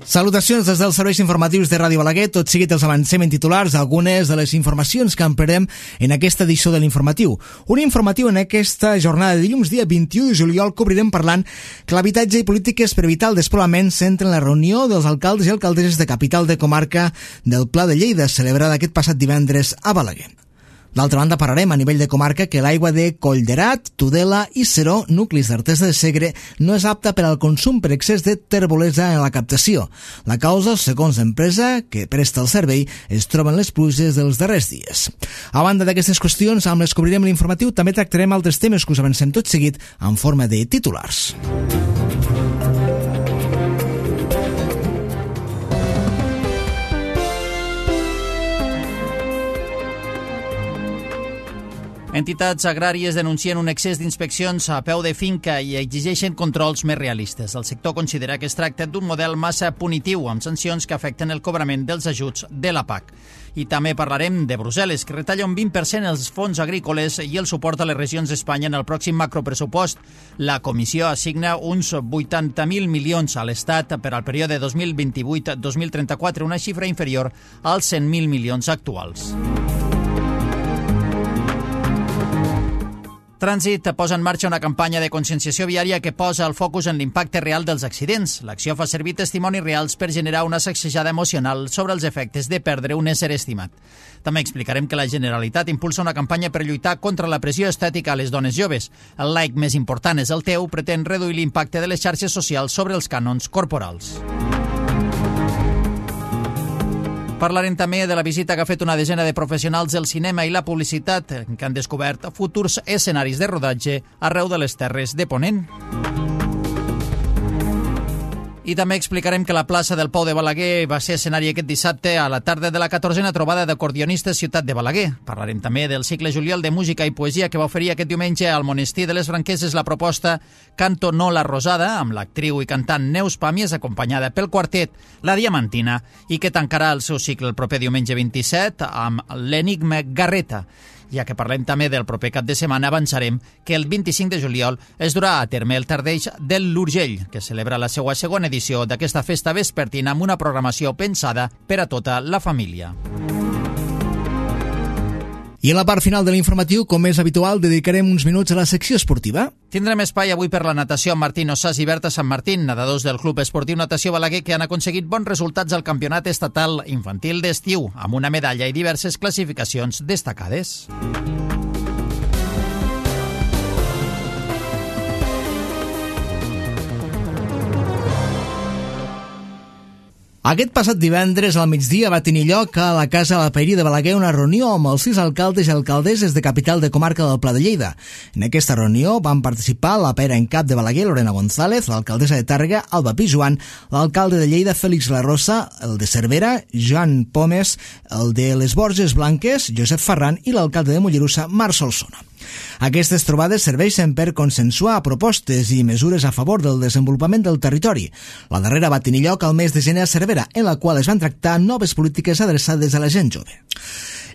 Salutacions des dels serveis informatius de Ràdio Balaguer. Tot seguit els avancem en titulars algunes de les informacions que ampliarem en aquesta edició de l'informatiu. Un informatiu en aquesta jornada de dilluns, dia 21 de juliol, que obrirem parlant que l'habitatge i polítiques per evitar el despoblament centren la reunió dels alcaldes i alcaldesses de capital de comarca del Pla de Lleida, celebrada aquest passat divendres a Balaguer. D'altra banda, parlarem a nivell de comarca que l'aigua de Collderat, Tudela i Seró, nuclis d'Artesa de Segre, no és apta per al consum per excés de terbolesa en la captació. La causa, segons l'empresa que presta el servei, es troben les pluges dels darrers dies. A banda d'aquestes qüestions, amb les que obrirem l'informatiu, també tractarem altres temes que us avancem tot seguit en forma de titulars. Entitats agràries denuncien un excés d'inspeccions a peu de finca i exigeixen controls més realistes. El sector considera que es tracta d'un model massa punitiu, amb sancions que afecten el cobrament dels ajuts de la PAC. I també parlarem de Brussel·les, que retalla un 20% els fons agrícoles i el suport a les regions d'Espanya en el pròxim macropressupost. La Comissió assigna uns 80.000 milions a l'Estat per al període 2028-2034, una xifra inferior als 100.000 milions actuals. Trànsit posa en marxa una campanya de conscienciació viària que posa el focus en l'impacte real dels accidents. L'acció fa servir testimonis reals per generar una sacsejada emocional sobre els efectes de perdre un ésser estimat. També explicarem que la Generalitat impulsa una campanya per lluitar contra la pressió estètica a les dones joves. El like més important és el teu pretén reduir l'impacte de les xarxes socials sobre els cànons corporals. Parlarem també de la visita que ha fet una desena de professionals del cinema i la publicitat que han descobert futurs escenaris de rodatge arreu de les Terres de Ponent. I també explicarem que la plaça del Pou de Balaguer va ser escenari aquest dissabte a la tarda de la 14a trobada d'acordionistes Ciutat de Balaguer. Parlarem també del cicle juliol de música i poesia que va oferir aquest diumenge al Monestir de les Franqueses la proposta Canto no la Rosada, amb l'actriu i cantant Neus Pàmies, acompanyada pel quartet La Diamantina, i que tancarà el seu cicle el proper diumenge 27 amb l'Enigma Garreta. Ja que parlem també del proper cap de setmana, avançarem que el 25 de juliol es durà a terme el Tardeix del l'Urgell, que celebra la seva segona edició d'aquesta festa vespertina amb una programació pensada per a tota la família. I en la part final de l'informatiu, com és habitual, dedicarem uns minuts a la secció esportiva. Tindrem espai avui per la natació amb Martín Ossàs i Berta Sant Martín, nedadors del Club Esportiu Natació Balaguer, que han aconseguit bons resultats al Campionat Estatal Infantil d'Estiu, amb una medalla i diverses classificacions destacades. Aquest passat divendres al migdia va tenir lloc a la Casa de la Paeria de Balaguer una reunió amb els 6 alcaldes i alcaldesses de capital de comarca del Pla de Lleida. En aquesta reunió van participar la pera en cap de Balaguer, Lorena González, l'alcaldessa de Tàrrega, Alba Pijuan, l'alcalde de Lleida, Félix La Rosa, el de Cervera, Joan Pomes, el de les Borges Blanques, Josep Ferran, i l'alcalde de Mollerussa, Marc Solsona. Aquestes trobades serveixen per consensuar propostes i mesures a favor del desenvolupament del territori. La darrera va tenir lloc al mes de gener a Cervera, en la qual es van tractar noves polítiques adreçades a la gent jove.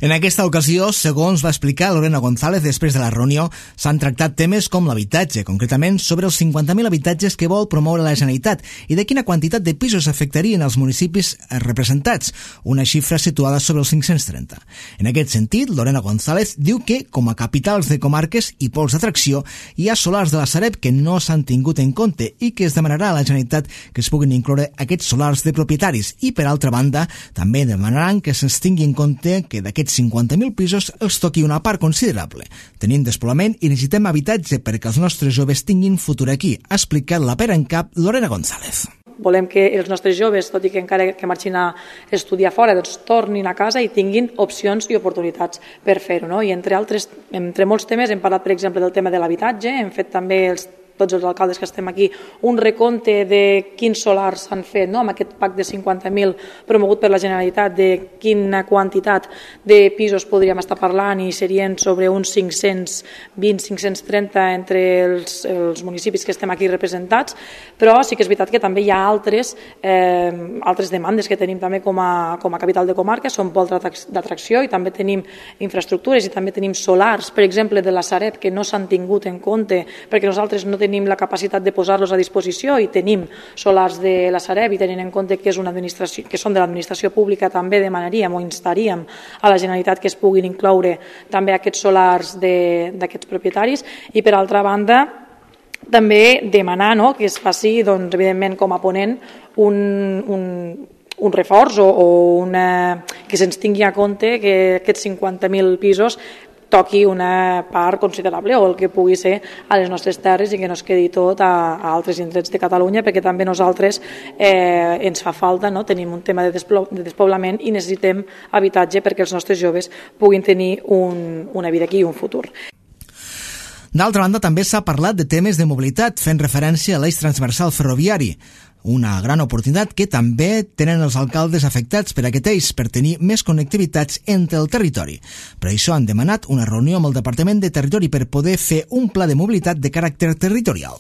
En aquesta ocasió, segons va explicar Lorena González després de la reunió, s'han tractat temes com l'habitatge, concretament sobre els 50.000 habitatges que vol promoure la Generalitat i de quina quantitat de pisos afectarien els municipis representats, una xifra situada sobre els 530. En aquest sentit, Lorena González diu que, com a capitals de comarques i pols d'atracció, hi ha solars de la Sareb que no s'han tingut en compte i que es demanarà a la Generalitat que es puguin incloure aquests solars de propietaris i, per altra banda, també demanaran que se'ns tingui en compte que d'aquests 50.000 pisos els toqui una part considerable. Tenim despoblament i necessitem habitatge perquè els nostres joves tinguin futur aquí, ha explicat la pera en cap Lorena González. Volem que els nostres joves, tot i que encara que marxin a estudiar fora, doncs tornin a casa i tinguin opcions i oportunitats per fer-ho, no? I entre molts temes hem parlat, per exemple, del tema de l'habitatge, hem fet també tots els alcaldes que estem aquí, un recompte de quins solars s'han fet, no? Amb aquest PAC de 50.000 promogut per la Generalitat, de quina quantitat de pisos podríem estar parlant, i serien sobre uns 520-530 entre els municipis que estem aquí representats, però sí que és veritat que també hi ha altres demandes que tenim també com a capital de comarca, són pols d'atracció i també tenim infraestructures i també tenim solars, per exemple, de la Sareb, que no s'han tingut en compte perquè nosaltres no tenim la capacitat de posar-los a disposició i tenim solars de la Sareb i tenint en compte que són de l'administració pública, també demanaríem o instaríem a la Generalitat que es puguin incloure també aquests solars d'aquests propietaris. I per altra banda també demanar que es faci, doncs, evidentment com a ponent, un reforç o que se'ns tingui a compte que aquests 50.000 pisos toqui una part considerable o el que pugui ser a les nostres terres i que no es quedi tot a altres indrets de Catalunya, perquè també nosaltres ens fa falta, tenim un tema de despoblament i necessitem habitatge perquè els nostres joves puguin tenir una vida aquí i un futur. D'altra banda, també s'ha parlat de temes de mobilitat, fent referència a l'eix transversal ferroviari, una gran oportunitat que també tenen els alcaldes afectats per aquest eix per tenir més connectivitats entre el territori. Per això han demanat una reunió amb el Departament de Territori per poder fer un pla de mobilitat de caràcter territorial.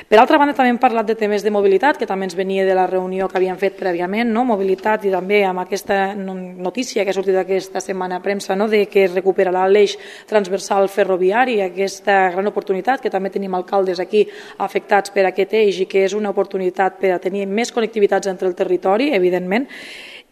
Per altra banda, també hem parlat de temes de mobilitat, que també ens venia de la reunió que havíem fet prèviament, mobilitat, i també amb aquesta notícia que ha sortit aquesta setmana a premsa, de que es recuperarà l'eix transversal ferroviari, aquesta gran oportunitat que també tenim alcaldes aquí afectats per aquest eix i que és una oportunitat per a tenir més connectivitats entre el territori, evidentment.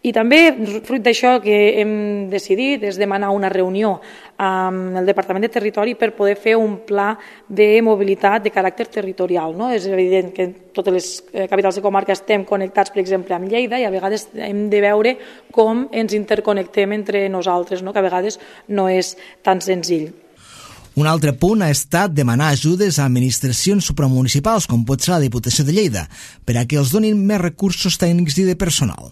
I també, fruit d'això, que hem decidit és demanar una reunió amb el Departament de Territori per poder fer un pla de mobilitat de caràcter territorial. És evident que totes les capitals de comarca estem connectats, per exemple, amb Lleida, i a vegades hem de veure com ens interconnectem entre nosaltres, que a vegades no és tan senzill. Un altre punt ha estat demanar ajudes a administracions supramunicipals, com pot ser la Diputació de Lleida, per a que els donin més recursos tècnics i de personal.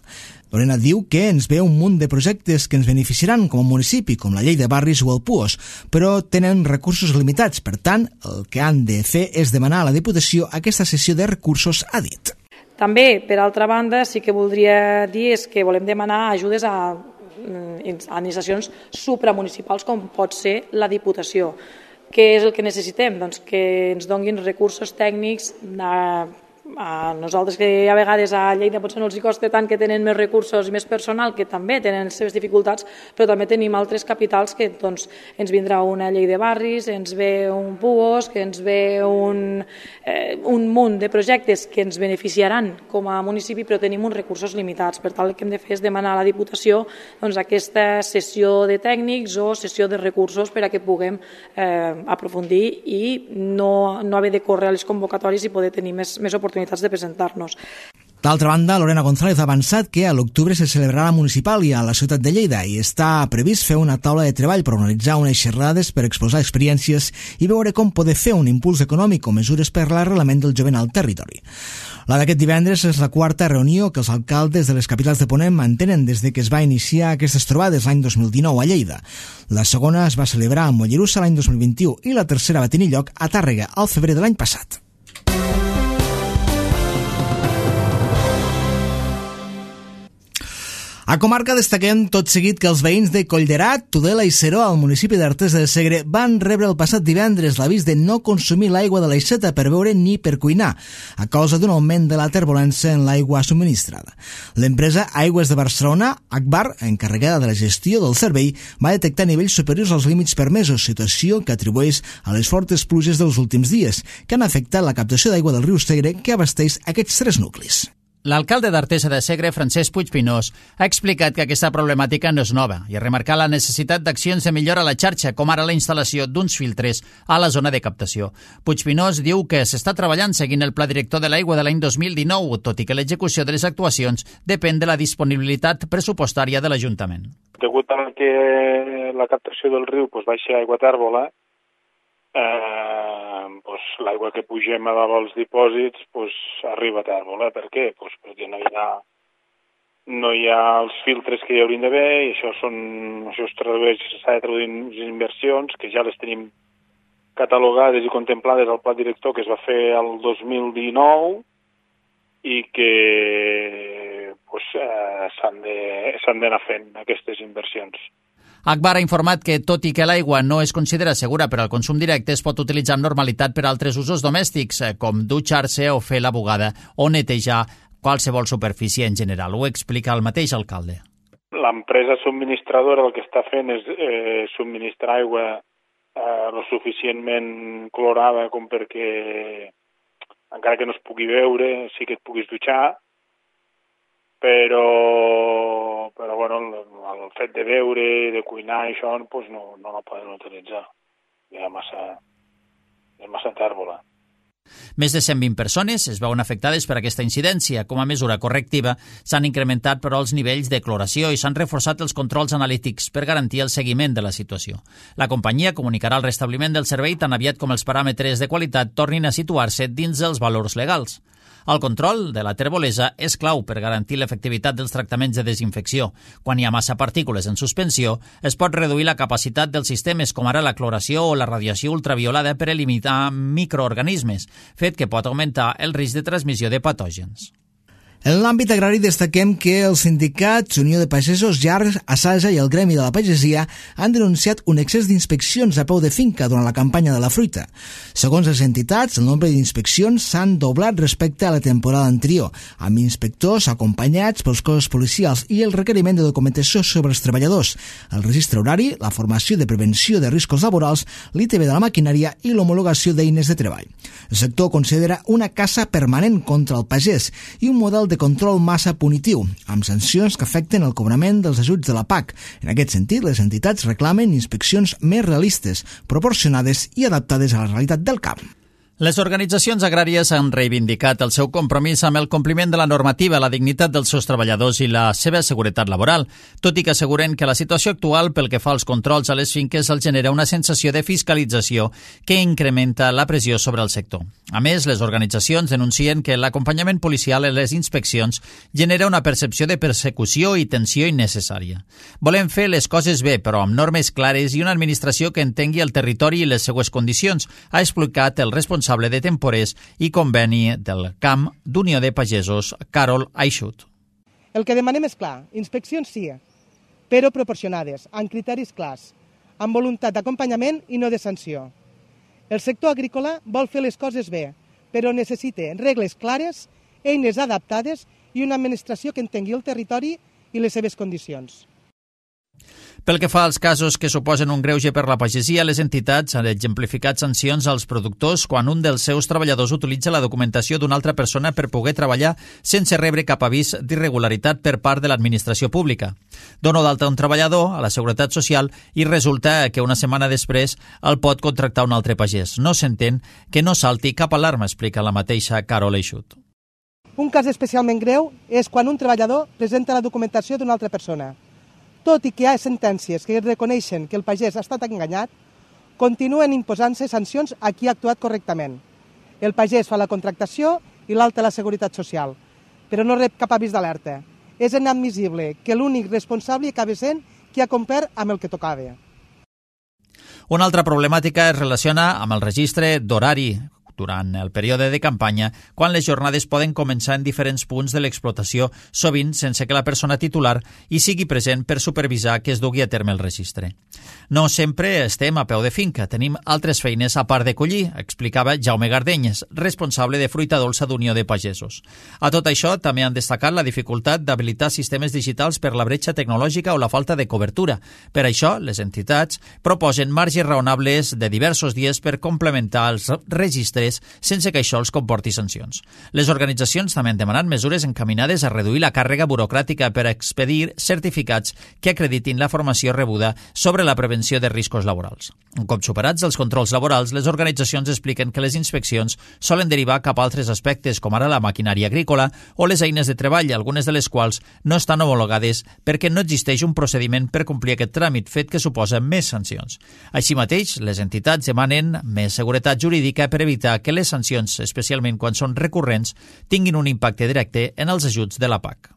Lorena diu que ens ve un munt de projectes que ens beneficiaran com a municipi, com la llei de barris o el PUOS, però tenen recursos limitats. Per tant, el que han de fer és demanar a la Diputació aquesta cessió de recursos, ha dit. També, per altra banda, sí que voldria dir és que volem demanar ajudes a administracions supramunicipals com pot ser la Diputació. Què és el que necessitem? Doncs que ens donguin recursos tècnics a nosaltres, que a vegades a Lleida potser no els costa tant, que tenen més recursos i més personal, que també tenen les seves dificultats, però també tenim altres capitals que ens vindrà una llei de barris, ens ve un PUOS, que ens ve un munt de projectes que ens beneficiaran com a municipi, però tenim uns recursos limitats. Per tant, el que hem de fer és demanar a la Diputació aquesta cessió de tècnics o cessió de recursos per a que puguem aprofundir i no haver de córrer a les convocatòries i poder tenir més oportunitats de presentar-nos. D'altra banda, Lorena González ha avançat que a l'octubre se celebrarà la municipal i a la ciutat de Lleida i està previst fer una taula de treball per organitzar unes xerrades per exposar experiències i veure com poder fer un impuls econòmic o mesures per l'arrelament del jovent al territori. La d'aquest divendres és la quarta reunió que els alcaldes de les capitals de Ponent mantenen des de que es va iniciar aquestes trobades l'any 2019 a Lleida. La segona es va celebrar a Mollerussa l'any 2021 i la tercera va tenir lloc a Tàrrega al febrer de l'any passat. A comarca destaquem tot seguit que els veïns de Collderat, Tudela i Seró, al municipi d'Artesa de Segre, van rebre el passat divendres l'avís de no consumir l'aigua de l'Aixeta per beure ni per cuinar, a causa d'un augment de la terbolència en l'aigua subministrada. L'empresa Aigües de Barcelona, Agbar, encarregada de la gestió del servei, va detectar nivells superiors als límits permesos, situació que atribueix a les fortes pluges dels últims dies, que han afectat la captació d'aigua del riu Segre que abasteix aquests 3 nuclis. L'alcalde d'Artesa de Segre, Francesc Puigpinós, ha explicat que aquesta problemàtica no és nova i ha remarcat la necessitat d'accions de millora a la xarxa, com ara la instal·lació d'uns filtres a la zona de captació. Puigpinós diu que s'està treballant seguint el Pla Director de l'Aigua de l'any 2019, tot i que l'execució de les actuacions depèn de la disponibilitat pressupostària de l'Ajuntament. Degut a que la captació del riu baixa aigua tèrbola, l'aigua que pugem a dalt als dipòsits arriba a tèrbola. Per què? Perquè no hi ha els filtres que hi haurien d'haver i això s'ha de traduir en inversions que ja les tenim catalogades i contemplades al Pla Director que es va fer el 2019 i que s'han d'anar fent aquestes inversions. Agbar ha informat que, tot i que l'aigua no es considera segura per al consum directe, es pot utilitzar amb normalitat per a altres usos domèstics, com dutxar-se o fer la bugada o netejar qualsevol superfície en general. Ho explica el mateix alcalde. L'empresa subministradora el que està fent és subministrar aigua lo suficientment clorada com perquè encara que no es pugui veure, sí que et puguis dutxar, però bueno, el fet de beure, de cuinar i això, pues no la poden utilitzar. Hi ha massa tèrbola. Més de 120 persones es veuen afectades per aquesta incidència. Com a mesura correctiva, s'han incrementat, però, els nivells de cloració i s'han reforçat els controls analítics per garantir el seguiment de la situació. La companyia comunicarà el restabliment del servei tan aviat com els paràmetres de qualitat tornin a situar-se dins els valors legals. El control de la terbolesa és clau per garantir l'efectivitat dels tractaments de desinfecció. Quan hi ha massa partícules en suspensió, es pot reduir la capacitat dels sistemes, com ara la cloració o la radiació ultraviolada, per eliminar microorganismes, fet que pot augmentar el risc de transmissió de patògens. En l'àmbit agrari destaquem que els sindicats Unió de Pagesos, JARC, Asaja i el Gremi de la Pagesia han denunciat un excés d'inspeccions a peu de finca durant la campanya de la fruita. Segons les entitats, el nombre d'inspeccions s'han doblat respecte a la temporada anterior, amb inspectors acompanyats pels cossos policials i el requeriment de documentació sobre els treballadors, el registre horari, la formació de prevenció de riscos laborals, l'ITB de la maquinària i l'homologació d'eines de treball. El sector considera una caça permanent contra el pagès i un model de control massa punitiu, amb sancions que afecten el cobrament dels ajuts de la PAC. En aquest sentit, les entitats reclamen inspeccions més realistes, proporcionades i adaptades a la realitat del camp. Les organitzacions agràries han reivindicat el seu compromís amb el compliment de la normativa, la dignitat dels seus treballadors i la seva seguretat laboral, tot i que asseguren que la situació actual pel que fa als controls a les finques els genera una sensació de fiscalització que incrementa la pressió sobre el sector. A més, les organitzacions denuncien que l'acompanyament policial en les inspeccions genera una percepció de persecució i tensió innecessària. Volem fer les coses bé, però amb normes clares i una administració que entengui el territori i les seues condicions, ha explicat el responsable de temporers i conveni del camp d'Unió de Pagesos, Carol Aixut. El que demanem és clar, inspeccions sí, però proporcionades, amb criteris clars, amb voluntat d'acompanyament i no de sanció. El sector agrícola vol fer les coses bé, però necessita regles clares, eines adaptades i una administració que entengui el territori i les seves condicions. Pel que fa als casos que suposen un greuge per la pagesia, les entitats han exemplificat sancions als productors quan un dels seus treballadors utilitza la documentació d'una altra persona per poder treballar sense rebre cap avís d'irregularitat per part de l'administració pública. Dono d'alta un treballador a la Seguretat Social i resulta que una setmana després el pot contractar un altre pagès. No s'entén que no salti cap alarma, explica la mateixa Carol Aixut. Un cas especialment greu és quan un treballador presenta la documentació d'una altra persona. Tot i que hi ha sentències que reconeixen que el pagès ha estat enganyat, continuen imposant-se sancions a qui ha actuat correctament. El pagès fa la contractació i l'altre la Seguretat Social, però no rep cap avís d'alerta. És inadmissible que l'únic responsable acabi sent qui ha complert amb el que tocava. Una altra problemàtica es relaciona amb el registre d'horari durant el període de campanya, quan les jornades poden començar en diferents punts de l'explotació, sovint sense que la persona titular hi sigui present per supervisar que es dugui a terme el registre. No sempre estem a peu de finca, tenim altres feines a part de collir, explicava Jaume Gardenyes, responsable de fruita dolça d'Unió de Pagesos. A tot això també han destacat la dificultat d'habilitar sistemes digitals per la bretxa tecnològica o la falta de cobertura. Per això, les entitats proposen marges raonables de diversos dies per complementar els registres sense que això els comporti sancions. Les organitzacions també han demanat mesures encaminades a reduir la càrrega burocràtica per expedir certificats que acreditin la formació rebuda sobre la prevenció de riscos laborals. Un cop superats els controls laborals, les organitzacions expliquen que les inspeccions solen derivar cap a altres aspectes, com ara la maquinària agrícola o les eines de treball, algunes de les quals no estan homologades perquè no existeix un procediment per complir aquest tràmit, fet que suposa més sancions. Així mateix, les entitats demanen més seguretat jurídica per evitar que les sancions, especialment quan són recurrents, tinguin un impacte directe en els ajuts de la PAC.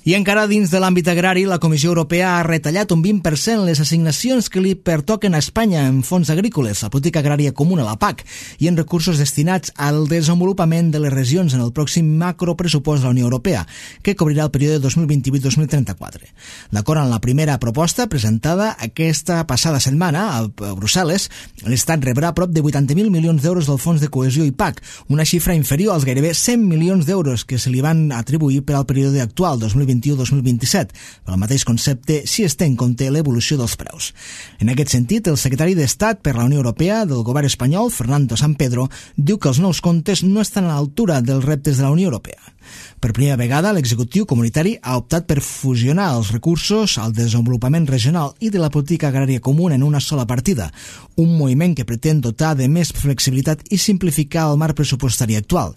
I encara dins de l'àmbit agrari, la Comissió Europea ha retallat un 20% les assignacions que li pertoquen a Espanya en fons agrícoles, la política agrària comuna, la PAC, i en recursos destinats al desenvolupament de les regions en el pròxim macropressupost de la Unió Europea, que cobrirà el període 2028-2034. D'acord amb la primera proposta presentada aquesta passada setmana a Brussel·les, l'Estat rebrà prop de 80.000 milions d'euros del fons de cohesió i PAC, una xifra inferior als gairebé 100 milions d'euros que se li van atribuir per al període actual, 2021-2027. 2021-2027. Per al mateix concepte, si es té en compte l'evolució dels preus. En aquest sentit, el secretari d'Estat per la Unió Europea del govern espanyol, Fernando Sampedro, diu que els nous comptes no estan a l'altura dels reptes de la Unió Europea. Per primera vegada, l'executiu comunitari ha optat per fusionar els recursos al desenvolupament regional i de la política agrària comuna en una sola partida, un moviment que pretén dotar de més flexibilitat i simplificar el marc pressupostari actual.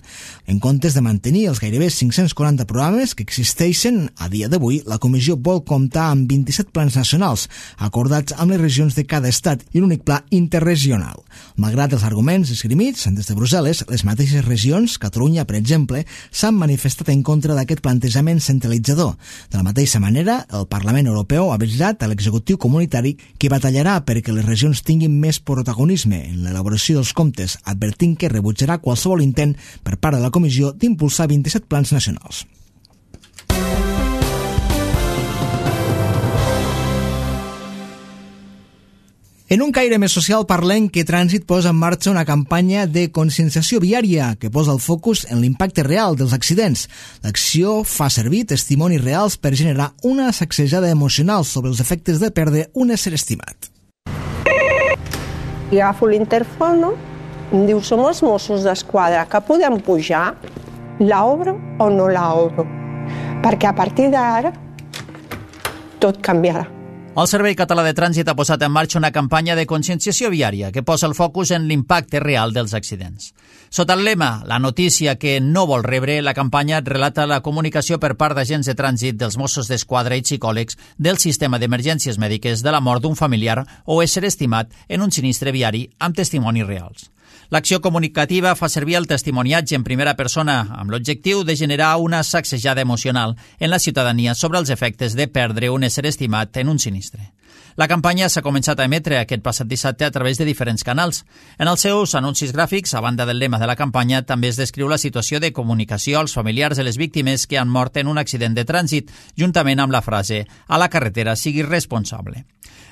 En comptes de mantenir els gairebé 540 programes que existeixen a dia d'avui, la Comissió vol comptar amb 27 plans nacionals, acordats amb les regions de cada estat i un únic pla interregional. Malgrat els arguments esgrimits des de Brussel·les, les mateixes regions, Catalunya, per exemple, s'han manifestat en contra d'aquest plantejament centralitzador. De la mateixa manera, el Parlament Europeu ha avisat a l'executiu comunitari que batallarà perquè les regions tinguin més protagonisme en l'elaboració dels comptes, advertint que rebutjarà qualsevol intent per part de la Comissió d'impulsar 27 plans nacionals. En un caire més social parlem que Trànsit posa en marxa una campanya de conscienciació viària que posa el focus en l'impacte real dels accidents. L'acció fa servir testimonis reals per generar una sacsejada emocional sobre els efectes de perdre un ésser estimat. I agafo l'interfono, em diu, som els Mossos d'Esquadra, que podem pujar? L'obro o no l'obro? Perquè a partir d'ara tot canviarà. El Servei Català de Trànsit ha posat en marxa una campanya de conscienciació viària que posa el focus en l'impacte real dels accidents. Sota el lema «La notícia que no vol rebre», la campanya relata la comunicació per part d'agents de trànsit, dels Mossos d'Esquadra i psicòlegs del sistema d'emergències mèdiques de la mort d'un familiar o ésser estimat en un sinistre viari amb testimonis reals. L'acció comunicativa fa servir el testimoniatge en primera persona amb l'objectiu de generar una sacsejada emocional en la ciutadania sobre els efectes de perdre un ésser estimat en un sinistre. La campanya s'ha començat a emetre aquest passat dissabte a través de diferents canals. En els seus anuncis gràfics, a banda del lema de la campanya, també es descriu la situació de comunicació als familiars de les víctimes que han mort en un accident de trànsit, juntament amb la frase «A la carretera sigui responsable».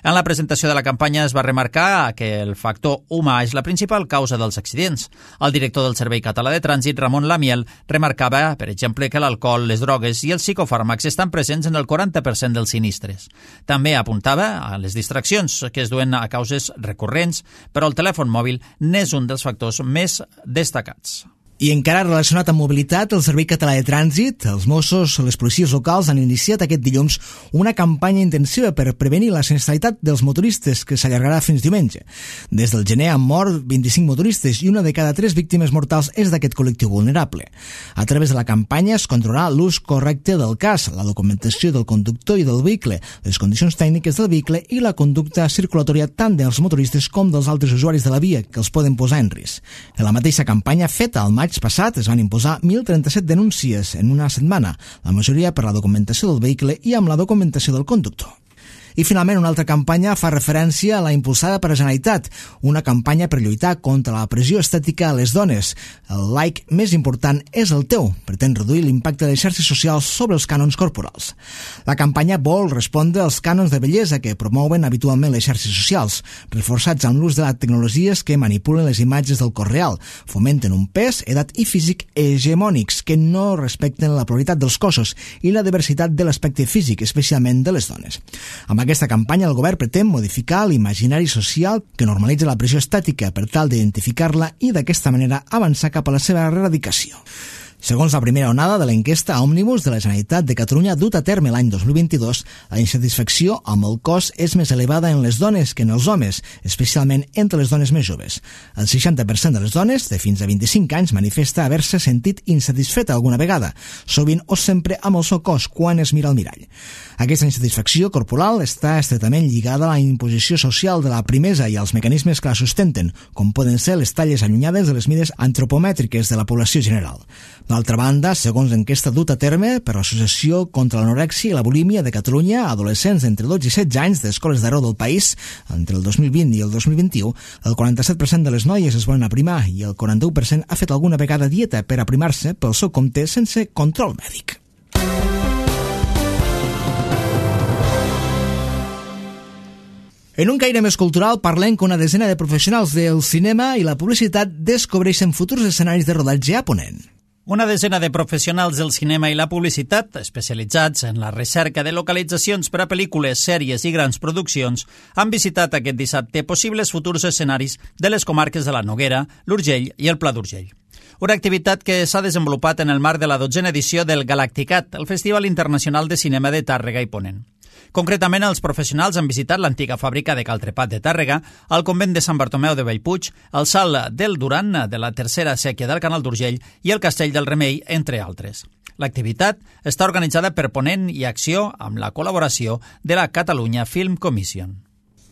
En la presentació de la campanya es va remarcar que el factor humà és la principal causa dels accidents. El director del Servei Català de Trànsit, Ramon Lamiel, remarcava, per exemple, que l'alcohol, les drogues i els psicofàrmacs estan presents en el 40% dels sinistres. També apuntava a les distraccions que es duen a causes recurrents, però el telèfon mòbil n'és un dels factors més destacats. I encara relacionat amb mobilitat, el Servei Català de Trànsit, els Mossos, les policies locals han iniciat aquest dilluns una campanya intensiva per prevenir la sinistralitat dels motoristes que s'allargarà fins diumenge. Des del gener han mort 25 motoristes i una de cada 3 víctimes mortals és d'aquest col·lectiu vulnerable. A través de la campanya es controlarà l'ús correcte del cas, la documentació del conductor i del vehicle, les condicions tècniques del vehicle i la conducta circulatòria tant dels motoristes com dels altres usuaris de la via que els poden posar en risc. En la mateixa campanya feta al maig passat es van imposar 1.037 denúncies en una setmana, la majoria per la documentació del vehicle i amb la documentació del conductor. I finalment una altra campanya fa referència a la impulsada per la Generalitat, una campanya per lluitar contra la pressió estètica a les dones. El like més important és el teu, pretén reduir l'impacte de les xarxes socials sobre els cànons corporals. La campanya vol respondre als cànons de bellesa que promouen habitualment les xarxes socials, reforçats amb l'ús de les tecnologies que manipulen les imatges del cos real, fomenten un pes, edat i físic hegemònics que no respecten la pluralitat dels cossos i la diversitat de l'aspecte físic, especialment de les dones. Amb aquesta campanya, el govern pretén modificar l'imaginari social que normalitza la pressió estètica per tal d'identificar-la i d'aquesta manera avançar cap a la seva erradicació. Segons la primera onada de l'enquesta Òmnibus de la Generalitat de Catalunya dut a terme l'any 2022, la insatisfacció amb el cos és més elevada en les dones que en els homes, especialment entre les dones més joves. El 60% de les dones de fins a 25 anys manifesta haver-se sentit insatisfeta alguna vegada, sovint o sempre amb el seu cos quan es mira al mirall. Aquesta insatisfacció corporal està estretament lligada a la imposició social de la primesa i als mecanismes que la sustenten, com poden ser les talles allunyades de les mides antropomètriques de la població general. D'altra banda, segons l'enquesta dut a terme per l'Associació contra l'Anorèxia i la Bulímia de Catalunya, adolescents d'entre 12 i 16 anys d'escoles d'arreu del país, entre el 2020 i el 2021, el 47% de les noies es volen aprimar i el 41% ha fet alguna vegada dieta per aprimar-se pel seu compte sense control mèdic. En un caire més cultural parlem que una desena de professionals del cinema i la publicitat descobreixen futurs escenaris de rodatge a Ponent. Una desena de professionals del cinema i la publicitat, especialitzats en la recerca de localitzacions per a pel·lícules, sèries i grans produccions, han visitat aquest dissabte possibles futurs escenaris de les comarques de la Noguera, l'Urgell i el Pla d'Urgell. Una activitat que s'ha desenvolupat en el marc de la 12a edició del Galacticat, el Festival Internacional de Cinema de Tàrrega i Ponent. Concretament, els professionals han visitat l'antiga fàbrica de Caltrepat de Tàrrega, el convent de Sant Bartomeu de Bellpuig, el Salt del Duran de la tercera sèquia del Canal d'Urgell i el Castell del Remei, entre altres. L'activitat està organitzada per Ponent i Acció amb la col·laboració de la Catalunya Film Commission.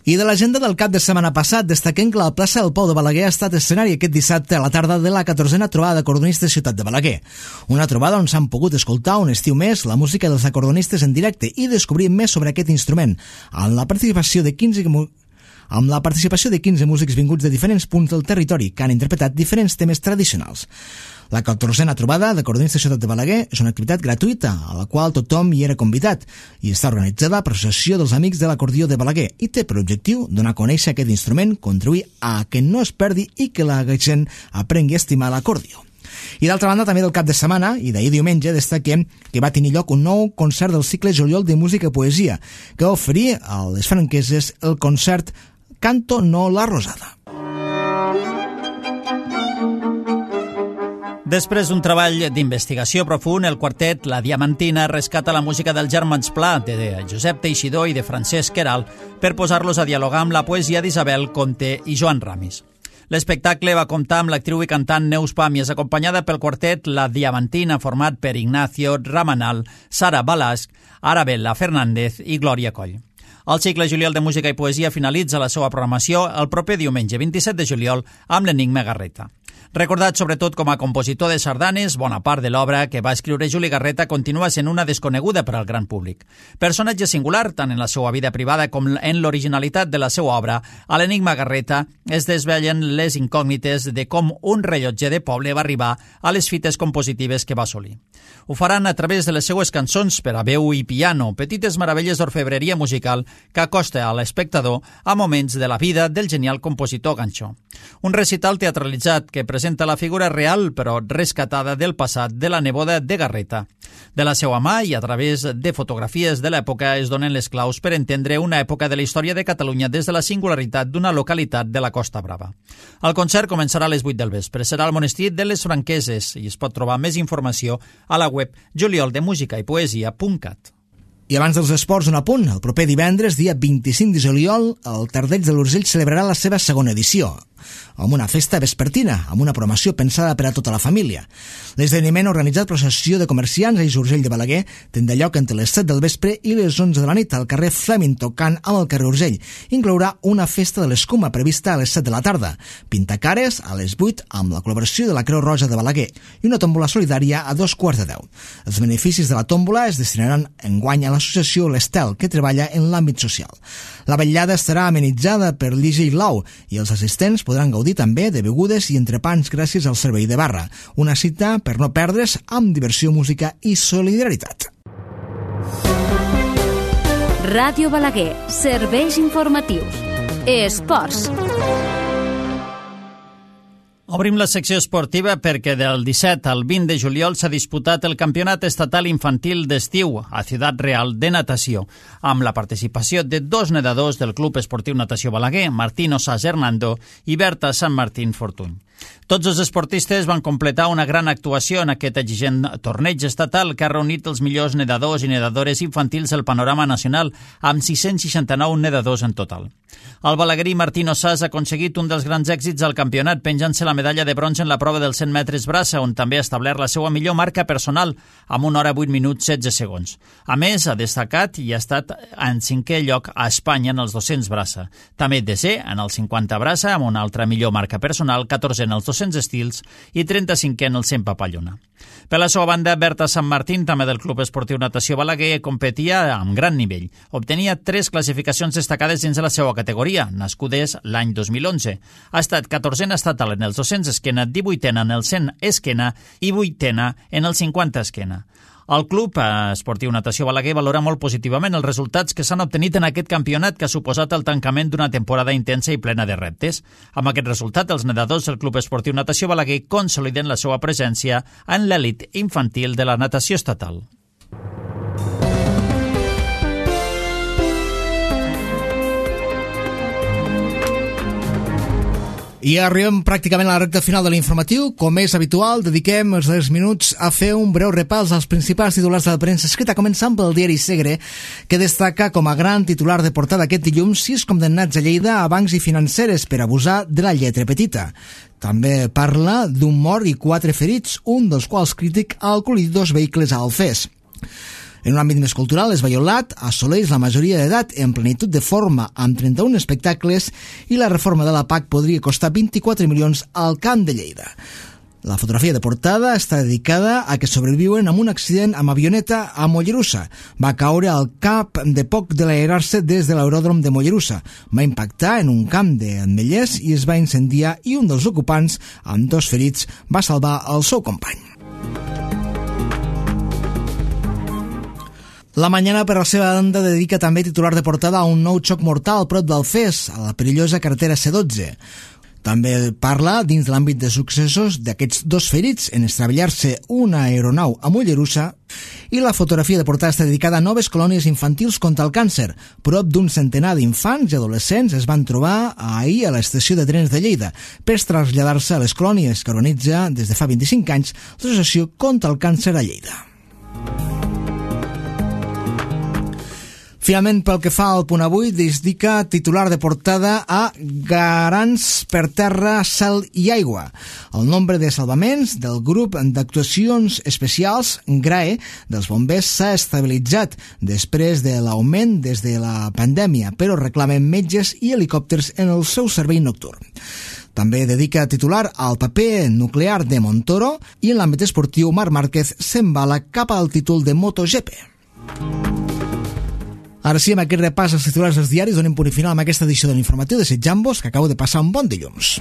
I de l'agenda del cap de setmana passat, destaquem que la plaça del Pou de Balaguer ha estat escenari aquest dissabte a la tarda de la 14a trobada d'acordonistes Ciutat de Balaguer. Una trobada on s'han pogut escoltar un estiu més la música dels acordonistes en directe i descobrir més sobre aquest instrument, amb la participació de 15 músics vinguts de diferents punts del territori que han interpretat diferents temes tradicionals. La 14a trobada d'acordonistes Ciutat de Balaguer és una activitat gratuïta a la qual tothom hi era convidat i està organitzada per l'Associació dels Amics de l'Acordió de Balaguer i té per objectiu donar a conèixer aquest instrument, contribuir a que no es perdi i que la gent aprengui a estimar l'acordió. I d'altra banda, també del cap de setmana, i d'ahir diumenge, destaquem que va tenir lloc un nou concert del cicle Juliol de Música i Poesia, que va oferir a les franqueses el concert Canto no la Rosada. Després d'un treball d'investigació profund, el quartet La Diamantina rescata la música dels germans Pla, de Josep Teixidor i de Francesc Queralt, per posar-los a dialogar amb la poesia d'Isabel Conte i Joan Ramis. L'espectacle va comptar amb l'actriu i cantant Neus Pàmies, acompanyada pel quartet La Diamantina, format per Ignacio Ramanal, Sara Balasc, Arabella Fernández i Glòria Coll. El cicle Juliol de Música i Poesia finalitza la seva programació el proper diumenge 27 de juliol amb l'Enigma Garreta. Recordat sobretot com a compositor de sardanes, bona part de l'obra que va escriure Juli Garreta continua sent una desconeguda per al gran públic. Personatge singular, tant en la seva vida privada com en l'originalitat de la seva obra, a l'Enigma Garreta es desvellen les incògnites de com un rellotger de poble va arribar a les fites compositives que va assolir. Ho faran a través de les seues cançons per a veu i piano, petites meravelles d'orfebreria musical que acosta a l'espectador a moments de la vida del genial compositor ganxó. Un recital teatralitzat que presenta la figura real però rescatada del passat de la neboda de Garreta. De la seva mà i a través de fotografies de l'època es donen les claus per entendre una època de la història de Catalunya des de la singularitat d'una localitat de la Costa Brava. El concert començarà a les 8 del vespre. Serà al monestir de les Franqueses i es pot trobar més informació a la web julioldemusicaippoesia.cat. I abans dels esports, un apunt. El proper divendres, dia 25 de juliol, el Tardeig de l'Urgell celebrarà la seva segona edició, amb una festa vespertina, amb una programació pensada per a tota la família. L'esdeveniment organitzat per l'Associació de Comerciants a Urgell de Balaguer tindrà lloc entre les 7 del vespre i les 11 de la nit al carrer Fleming, tocant amb el carrer Urgell. Inclourà una festa de l'escuma prevista a les 7 de la tarda, pintacares a les 8 amb la col·laboració de la Creu Roja de Balaguer i una tòmbola solidària a 2:15. Els beneficis de la tòmbola es destinaran enguany a l'associació L'Estel, que treballa en l'àmbit social. La vetllada estarà amenitzada per l'Ige i Blau i els assistents podran gaudir també de begudes i entrepans gràcies al servei de barra. Una cita per no perdre's amb diversió, música i solidaritat. Ràdio Balaguer, serveis informatius. Esports. Obrim la secció esportiva perquè del 17 al 20 de juliol s'ha disputat el Campionat Estatal Infantil d'Estiu a Ciutat Real de natació, amb la participació de 2 nedadors del Club Esportiu Natació Balaguer, Martín Osàs Hernando i Berta Sant Martín Fortuny. Tots els esportistes van completar una gran actuació en aquest exigent torneig estatal que ha reunit els millors nedadors i nedadores infantils del panorama nacional, amb 669 nedadors en total. El balaguerí Martín Osàs ha aconseguit un dels grans èxits al campionat, penjant-se la medalla de bronze en la prova dels 100 metres braça, on també ha establert la seva millor marca personal, amb 1 hora 8 minuts 16 segons. A més, ha destacat i ha estat en 5è lloc a Espanya en els 200 braça. També desè en el 50 braça, amb una altra millor marca personal, 14 en els 200 estils i 35 en el 100 papallona. Per la seva banda, Berta Sant Martín, també del Club Esportiu Natació Balaguer, competia amb gran nivell. Obtenia 3 classificacions destacades dins de la seva categoria, nascudes l'any 2011. Ha estat 14a estatal en els 200 esquena, 18a en el 100 esquena i 8a en el 50 esquena. El Club Esportiu Natació Balaguer valora molt positivament els resultats que s'han obtenit en aquest campionat que ha suposat el tancament d'una temporada intensa i plena de reptes. Amb aquest resultat, els nedadors del Club Esportiu Natació Balaguer consoliden la seva presència en l'elit infantil de la natació estatal. I arribem pràcticament a la recta final de l'informatiu. Com és habitual, dediquem els 10 minuts a fer un breu repàs als principals titulars de la premsa escrita, començant pel diari Segre, que destaca com a gran titular de portada aquest dilluns 6 condemnats a Lleida a bancs i financeres per abusar de la lletra petita. També parla d'un mort i 4 ferits, un dels quals crític al col·lidir 2 vehicles a Alfés. En un àmbit més cultural, Esvaiolat assoleix la majoria d'edat en plenitud de forma amb 31 espectacles i la reforma de la PAC podria costar 24 milions al Camp de Lleida. La fotografia de portada està dedicada a que sobreviuen amb un accident amb avioneta a Mollerussa. Va caure al cap de poc de l'aerar-se des de l'aeròdrom de Mollerussa. Va impactar en un camp d'Ametllers i es va incendiar i un dels ocupants, amb 2 ferits, va salvar el seu company. La Mañana, per la seva banda, dedica també titular de portada a un nou xoc mortal prop d'Alfés, a la perillosa carretera C12. També parla, dins de l'àmbit de successos, d'aquests 2 ferits en estravellar-se una aeronau a Mollerussa, i la fotografia de portada està dedicada a noves colònies infantils contra el càncer. Prop d'un centenar d'infants i adolescents es van trobar ahir a l'estació de trens de Lleida per traslladar-se a les colònies que organitza des de fa 25 anys l'Associació contra el Càncer a Lleida. Finalment, pel que fa al Punt Avui, dedica titular de portada a Garants per terra, cel i aigua. El nombre de salvaments del grup d'actuacions especials, GRAE, dels bombers s'ha estabilitzat després de l'augment des de la pandèmia, però reclamen metges i helicòpters en el seu servei nocturn. També dedica titular al paper nuclear de Montoro i en l'àmbit esportiu Marc Márquez s'embala cap al títol de MotoGP. Ara sí, amb aquest repàs als titulars dels diaris donem punt final amb aquesta edició de l'informatiu, desitjant-vos que acabeu de passar un bon dilluns.